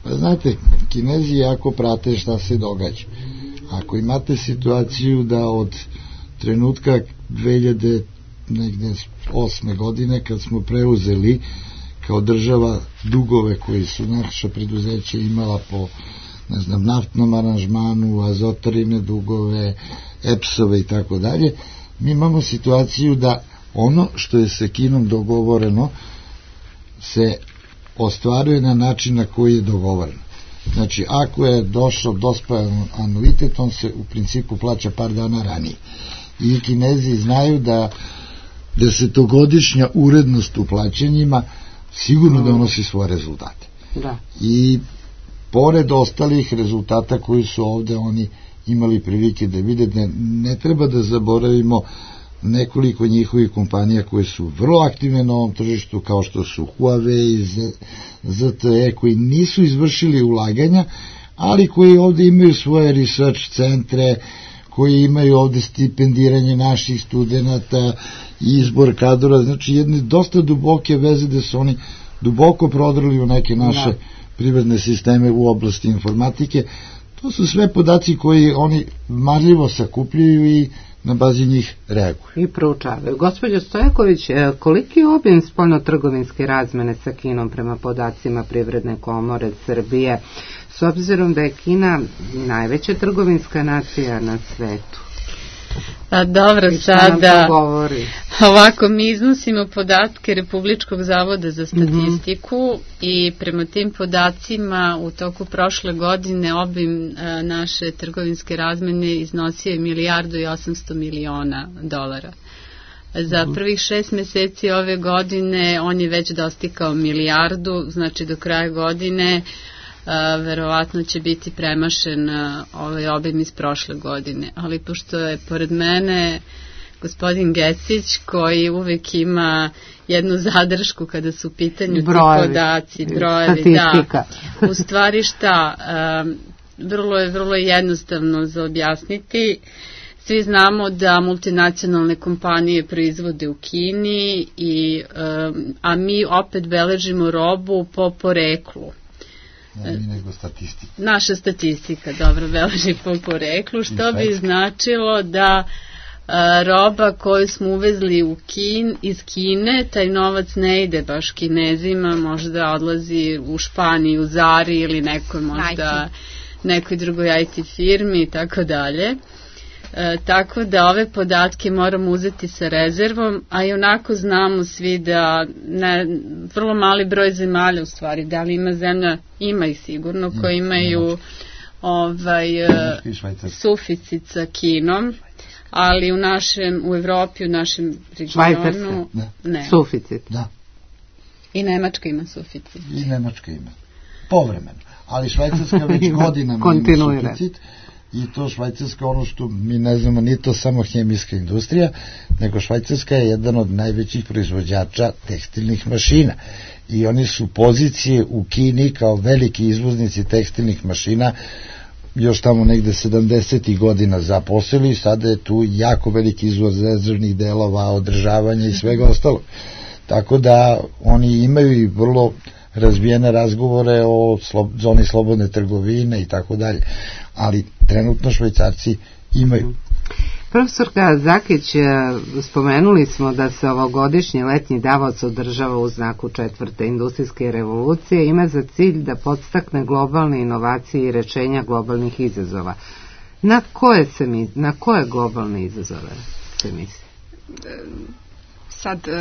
Pa znate, Kinezi jako prate šta se događa. Ako imate situaciju da od trenutka dve hiljade osme godine, kad smo preuzeli kao država dugove koji su naša preduzeća imala po, ne znam, naftnom aranžmanu, azotarine dugove, epsove i tako dalje, mi imamo situaciju da ono što je sa Kinom dogovoreno se ostvaruje na način na koji je dogovoreno. Znači, ako je došao dospelan anuitet, on se u principu plaća par dana ranije. I Kinezi znaju da desetogodišnja urednost u plaćanjima sigurno donosi svoje rezultate. Da. I pored ostalih rezultata koji su ovde oni imali prilike da vide, ne, ne treba da zaboravimo nekoliko njihovih kompanija koje su vrlo aktivne na ovom tržištu, kao što su Huawei, Z T E, koji nisu izvršili ulaganja, ali koji ovde imaju svoje research centre, koji imaju ovde stipendiranje naših studenta, izbor kadrova, znači jedne dosta duboke veze da su oni duboko prodrali u neke naše privredne sisteme u oblasti informatike. To su sve podaci koji oni marljivo sakupljaju i na bazi njih reaguju. I proučavaju. Gospođo Stojaković, koliki je obim spoljnotrgovinske razmene sa Kinom prema podacima Privredne komore Srbije, s obzirom da je Kina najveća trgovinska nacija na svetu? A dobro, sada ovako mi iznosimo podatke Republičkog zavoda za statistiku mm-hmm. i prema tim podacima u toku prošle godine obim a, naše trgovinske razmene iznosio je milijardu i osamsto miliona dolara. Za prvih šest meseci ove godine on je već dostigao milijardu, znači do kraja godine Uh, verovatno će biti premašen uh, ovaj obim iz prošle godine, ali pošto je pored mene gospodin Gecić koji uvek ima jednu zadršku kada su u pitanju brojevi, ti podaci, brojevi, statistika. Da, u stvari šta, uh, vrlo je vrlo jednostavno za objasniti. Svi znamo da multinacionalne kompanije proizvode u Kini, i, uh, a mi opet beležimo robu po poreklu. Nego statistika. Naša statistika dobro beleži po poreklu, što bi značilo da a, roba koju smo uvezli u Kin, iz Kine, taj novac ne ide baš Kinezima, možda odlazi u Španiju, Zari ili nekoj možda nekoj drugoj I T firmi i tako dalje. E, tako da ove podatke moramo uzeti sa rezervom, a i onako znamo svi da ne, vrlo mali broj zemalja u stvari, da li ima zemlja, ima ih sigurno, koji imaju ovaj, suficit sa Kinom, ali u našem, u Evropi, u našem regionu ne. Suficit. Da. I Nemačka ima suficit. I Nemačka ima. Povremeno. Ali Švajcarska već godinama ima suficit. I to Švajcarska, ono što mi ne znamo, nije to samo hemijska industrija, nego Švajcarska je jedan od najvećih proizvođača tekstilnih mašina. I oni su pozicije u Kini kao veliki izvoznici tekstilnih mašina još tamo negde sedamdesetih godina zaposlili, sada je tu jako veliki izvoz rezervnih delova, održavanja i svega ostalog. Tako da oni imaju i vrlo razvijene razgovore o slo, zoni slobodne trgovine i tako dalje, ali trenutno Švajcarci imaju. Profesorka Zakić, spomenuli smo da se ovogodišnji letnji Davos održava u znaku četvrte industrijske revolucije, ima za cilj da podstakne globalne inovacije i rešenja globalnih izazova. Na koje, se mi, na koje globalne izazove se misli? Sad, uh,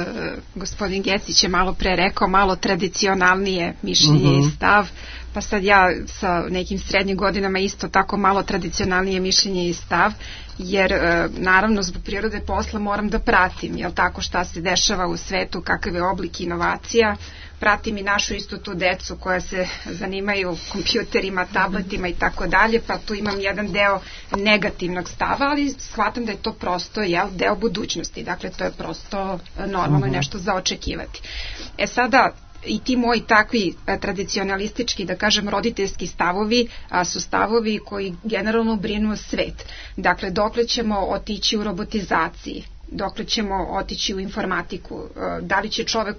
gospodin Gecić je malo pre rekao malo tradicionalnije mišljenje uh-huh. i stav, pa sad ja sa nekim srednjim godinama isto tako malo tradicionalnije mišljenje i stav, jer uh, naravno zbog prirode posla moram da pratim, jel tako, šta se dešava u svetu, kakav je oblik inovacija, pratim i našu istu tu decu koja se zanimaju kompjuterima, tabletima i tako dalje, pa tu imam jedan deo negativnog stava, ali shvatam da je to prosto jel, deo budućnosti, dakle to je prosto normalno uh-huh. nešto za očekivati. E sada, i ti moji takvi a, tradicionalistički, da kažem, roditeljski stavovi a, su stavovi koji generalno brinu svet. Dakle, dokle ćemo otići u robotizaciji? dokle ćemo otići u informatiku, da li će čovek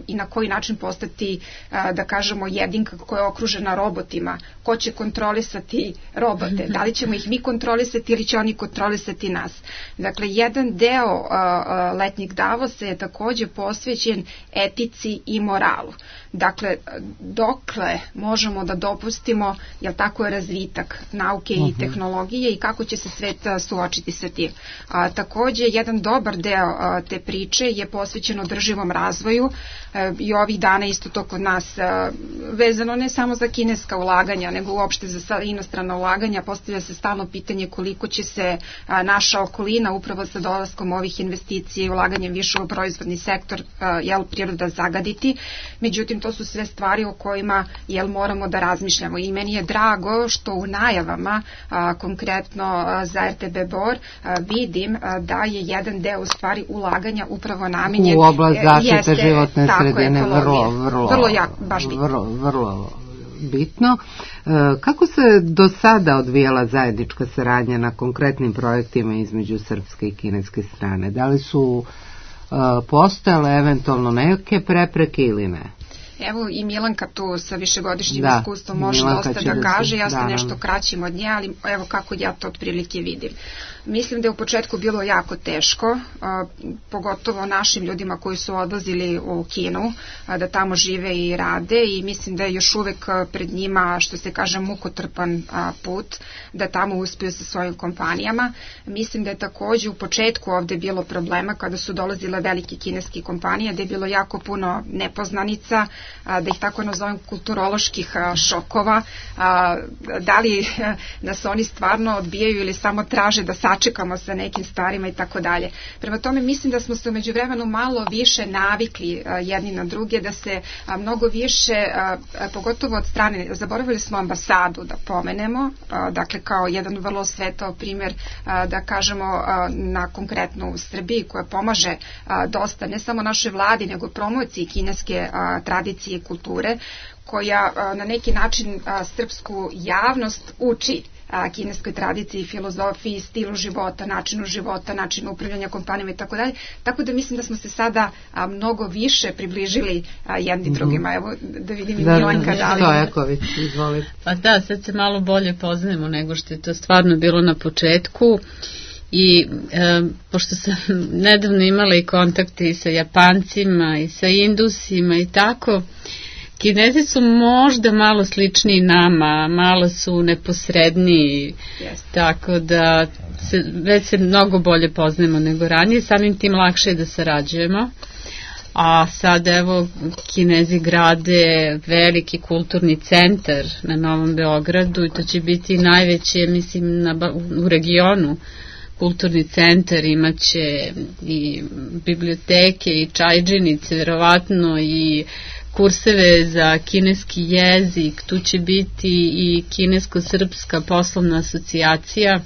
i na koji način postati, da kažemo, jedinka koja je okružena robotima, ko će kontrolisati robote, da li ćemo ih mi kontrolisati ili će oni kontrolisati nas. Dakle, jedan deo letnjeg Davosa je takođe posvećen etici i moralu. Dakle, dokle možemo da dopustimo, jel tako je razvitak nauke i tehnologije i kako će se svet suočiti sa tim. A, takođe, jedan dobar deo a, te priče je posvećen održivom razvoju a, i ovih dana isto to kod nas a, vezano ne samo za kineska ulaganja, nego uopšte za inostrana ulaganja. Postavlja se stalno pitanje koliko će se a, naša okolina upravo sa dolaskom ovih investicija i ulaganjem više u proizvodni sektor a, jel, priroda zagaditi. Međutim, to su sve stvari o kojima jel, moramo da razmišljamo i meni je drago što u najavama a, konkretno a, za R T B Bor a, vidim a, da je jedan deo u stvari ulaganja upravo namenjen u oblast zaštite jeste, životne sredine, vrlo, vrlo, vrlo, jak, baš bitno. Vrlo, vrlo bitno. E, kako se do sada odvijala zajednička saradnja na konkretnim projektima između srpske i kineske strane? Da li su e, postojale eventualno neke prepreke ili ne? Evo i Milanka tu sa višegodišnjim da, iskustvom može Milanka dosta da, da kaže, ja sam da, nešto kraćim od nje, ali evo kako ja to otprilike vidim. Mislim da je u početku bilo jako teško, a, pogotovo našim ljudima koji su odlazili u Kinu, a, da tamo žive i rade i mislim da je još uvek pred njima, što se kaže, mukotrpan a, put, da tamo uspiju sa svojim kompanijama. Mislim da je takođe u početku ovde bilo problema kada su dolazile velike kineske kompanije, da je bilo jako puno nepoznanica, da ih tako nazovem kulturoloških šokova, da li nas oni stvarno odbijaju ili samo traže da sačekamo sa nekim stvarima i tako dalje. Prema tome mislim da smo se umeđu vremenu malo više navikli jedni na druge, da se mnogo više, pogotovo od strane, zaboravili smo ambasadu da pomenemo, dakle kao jedan vrlo svetao primjer, da kažemo na konkretno u Srbiji koja pomaže dosta ne samo našoj vladi nego promociji kineske tradicije i kulture, koja na neki način srpsku javnost uči kineskoj tradiciji, filozofiji, stilu života, načinu života, načinu upravljanja kompanijama i tako dalje. Tako da mislim da smo se sada mnogo više približili jedni drugima. Evo da vidim i da, Milanka da li... Stojaković, izvolite. Pa da, sad se malo bolje poznajemo nego što je to stvarno bilo na početku. I e, pošto sam nedavno imala i kontakte i sa Japancima i sa Indusima i tako, Kinezi su možda malo sličniji nama, malo su neposredniji, yes. Tako da se, već se mnogo bolje poznajemo nego ranije, samim tim lakše je da sarađujemo. A sad evo Kinezi grade veliki kulturni centar na Novom Beogradu i to će biti najveće, mislim, na, u regionu kulturni centar, imaće i biblioteke i čajđenice, verovatno i kurseve za kineski jezik, tu će biti i kinesko-srpska poslovna asocijacija,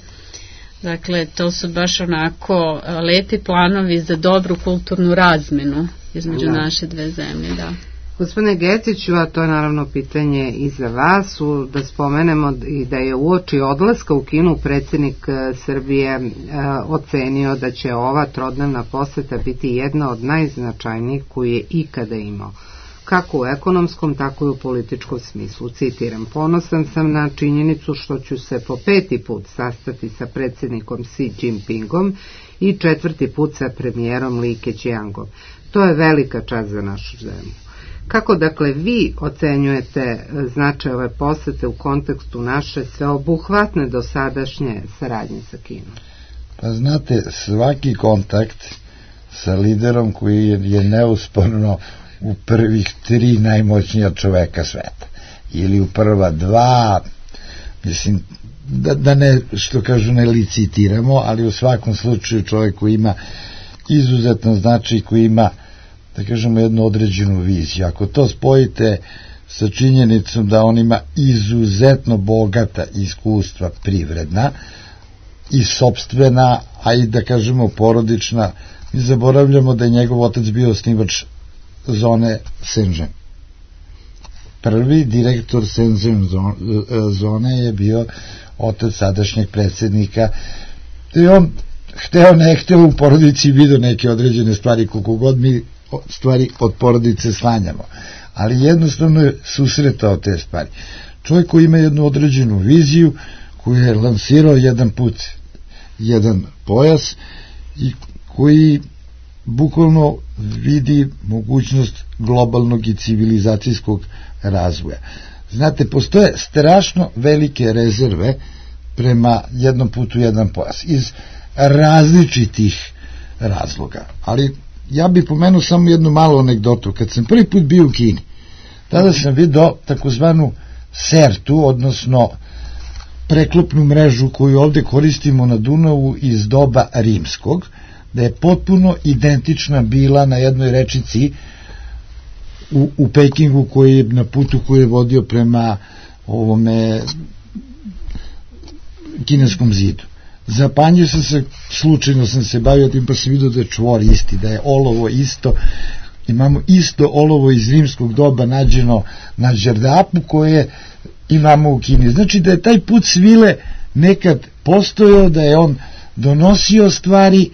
dakle to su baš onako lepi planovi za dobru kulturnu razmenu između da. naše dve zemlje, da. Gospodine Geciću, a to je naravno pitanje i za vas, da spomenemo i da je uoči odlaska u Kinu predsjednik Srbije e, ocenio da će ova trodnevna poseta biti jedna od najznačajnijih koju je ikada imao, kako u ekonomskom, tako i u političkom smislu. Citiram, ponosan sam na činjenicu što ću se po peti put sastati sa predsjednikom Xi Jinpingom i četvrti put sa premijerom Li Keqiangom. To je velika čast za našu zemlju. Kako dakle vi ocenjujete značaj ove posete u kontekstu naše sveobuhvatne dosadašnje saradnje sa Kinom? Pa znate, svaki kontakt sa liderom koji je, je neusporno u prvih tri najmoćnija čoveka sveta ili u prva dva, mislim da, da ne, što kažu, ne licitiramo, ali u svakom slučaju čovjek koji ima izuzetno značaj, koji ima, da kažemo, jednu određenu viziju. Ako to spojite sa činjenicom da on ima izuzetno bogata iskustva privredna i sopstvena, a i da kažemo porodična, mi zaboravljamo da je njegov otac bio osnivač zone Shenzhen. Prvi direktor Shenzhen zone je bio otac sadašnjeg predsjednika i on hteo ne hteo u porodici vidio neke određene stvari, koliko god mi stvari od porodice slanjamo, ali jednostavno je susretao te stvari. Čovjek koji ima jednu određenu viziju, koji je lansirao jedan put jedan pojas i koji bukvalno vidi mogućnost globalnog i civilizacijskog razvoja. Znate, postoje strašno velike rezerve prema jednom putu jedan pojas iz različitih razloga, ali ja bih pomenuo samo jednu malu anegdotu. Kad sam prvi put bio u Kini, tada sam vidio takozvanu sertu, odnosno preklopnu mrežu koju ovde koristimo na Dunavu iz doba rimskog, da je potpuno identična bila na jednoj rečici u, u Pekingu, koji je na putu koji je vodio prema ovome kineskom zidu. Zapanjio sam se, slučajno sam se bavio tim, pa sam vidio da je čvor isti, da je olovo isto, imamo isto olovo iz rimskog doba nađeno na Đerdapu koje imamo u Kini. Znači da je taj put svile nekad postojao, da je on donosio stvari.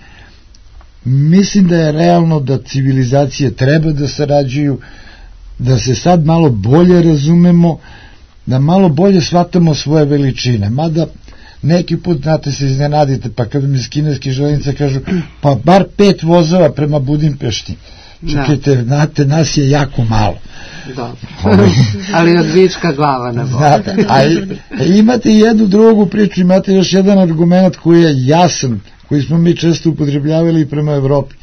Mislim da je realno da civilizacije treba da sarađuju, da se sad malo bolje razumemo, da malo bolje shvatamo svoje veličine, mada neki put, znate, se iznenadite, pa kad mi iz kineske železnice kažu, pa bar pet vozova prema Budimpešti. Čekajte, da. Znate, nas je jako malo. Da. Ali od vička glava ne znate, a imate jednu drugu priču, imate još jedan argument koji je jasan, koji smo mi često upotrebljavali prema Evropi.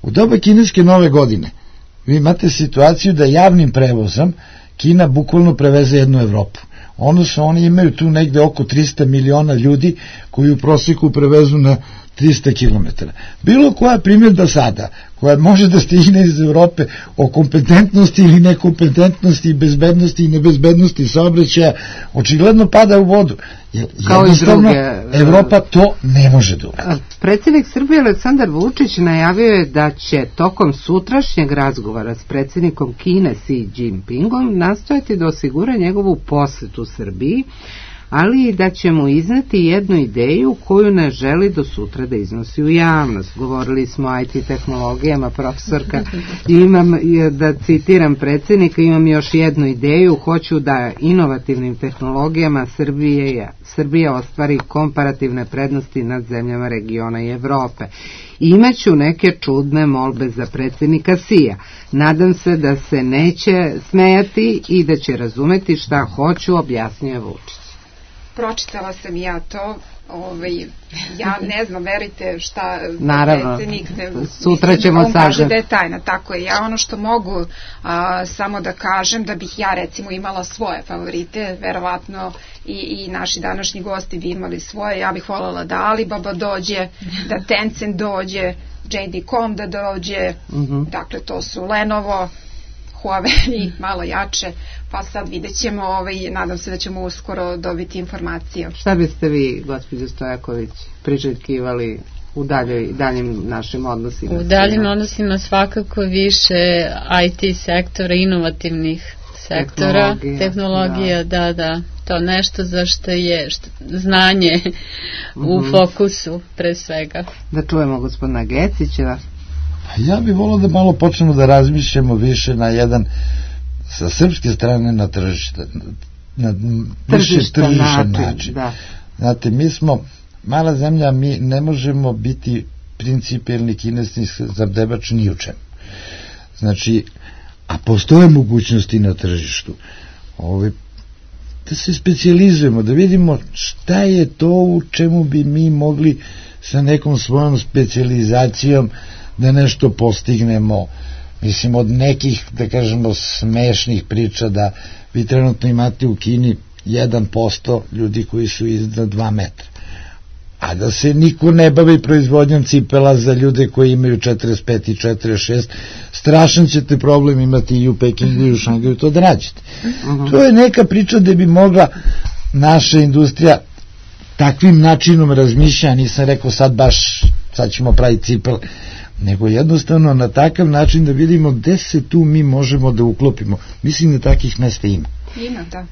U doba kineske nove godine vi imate situaciju da javnim prevozom Kina bukvalno preveze jednu Evropu. Odnosno, oni imaju tu negde oko trista miliona ljudi koji u prosjeku prevezu na trista kilometara. Bilo koja primjedba sada, koja može da stigne iz Evrope o kompetentnosti ili nekompetentnosti, bezbednosti i nebezbednosti saobraćaja, očigledno pada u vodu. Jer kao i druge. Evropa to ne može da uradi. Predsjednik Srbije Aleksandar Vučić najavio je da će tokom sutrašnjeg razgovora s predsjednikom Kine Xi Jinpingom nastojati da osigura njegovu posetu Srbiji, ali i da će mu izneti jednu ideju koju ne želi do sutra da iznosi u javnost. Govorili smo o I T tehnologijama, profesorka, i imam, da citiram predsjednika, imam još jednu ideju, hoću da inovativnim tehnologijama Srbije, Srbija ostvari komparativne prednosti nad zemljama regiona i Evrope. Imaću neke čudne molbe za predsjednika Xija. Nadam se da se neće smejati i da će razumeti šta hoću, objasnio je Vučić. Pročitala sam ja to, ovaj, ja ne znam, verite šta naravno, predsjednik ne, sutra ćemo on kaže sažem. da je tajna, tako je. Ja ono što mogu a, samo da kažem, da bih ja recimo imala svoje favorite, verovatno i, i naši današnji gosti bi imali svoje, ja bih voljela da Alibaba dođe, da Tencent dođe, J D dot com da dođe, uh-huh. Dakle to su Lenovo, Huawei malo jače, pa sad vidjet ćemo, ovaj, nadam se da ćemo uskoro dobiti informacije. Šta biste vi, gospođo Stojaković, priželjkivali u daljoj, daljim našim odnosima? U daljim odnosima svakako više I T sektora, inovativnih sektora, tehnologija, tehnologija da. da, da, to nešto za što je što, znanje mm-hmm. u fokusu pre svega. Da čujemo gospodina Gecića. Ja bih volao da malo počnemo da razmišljamo više na jedan, sa srpske strane, na tržište, na više tržišan način. način. Da. Znate, mi smo mala zemlja, mi ne možemo biti principijelni kinesni zabdebač ni u čemu. Znači, a postoje mogućnosti na tržištu. Ove, da se specijalizujemo, da vidimo šta je to u čemu bi mi mogli sa nekom svojom specijalizacijom da nešto postignemo. Mislim, od nekih, da kažemo, smešnih priča da vi trenutno imate u Kini jedan posto ljudi koji su iznad dva metra. A da se niko ne bavi proizvodnjom cipela za ljude koji imaju četrdeset pet i četrdeset šest, strašan ćete problem imati i u Pekingu i u Šangaju to da rađete. Uh-huh. To je neka priča gde bi mogla naša industrija takvim načinom razmišljanja, nisam rekao sad baš, sad ćemo praviti cipel, nego jednostavno na takav način da vidimo gde se tu mi možemo da uklopimo. Mislim da takih mesta ima. Ima, da.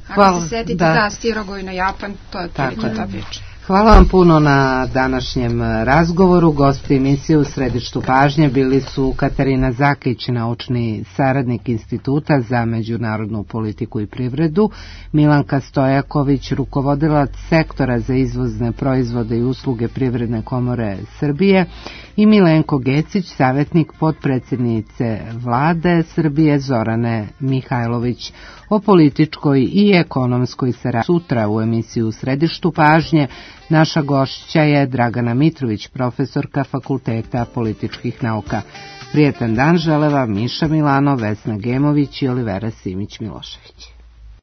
Ako se setite da, da Stirogoj na Japan, to je prilike ta priča. Hvala vam puno na današnjem razgovoru. Gosti emisije u središtu pažnje bili su Katarina Zakić, naučni saradnik Instituta za međunarodnu politiku i privredu, Milanka Stojaković, rukovodilac sektora za izvozne proizvode i usluge Privredne komore Srbije, i Milenko Gecić, savjetnik potpredsjednice Vlade Srbije Zorane Mihajlović. O političkoj i ekonomskoj saradnji sutra u emisiju u središtu pažnje naša gošća je Dragana Mitrović, profesorka Fakulteta političkih nauka. Prijetan dan žele vam Miša Milano, Vesna Gemović i Olivera Simić Milošević.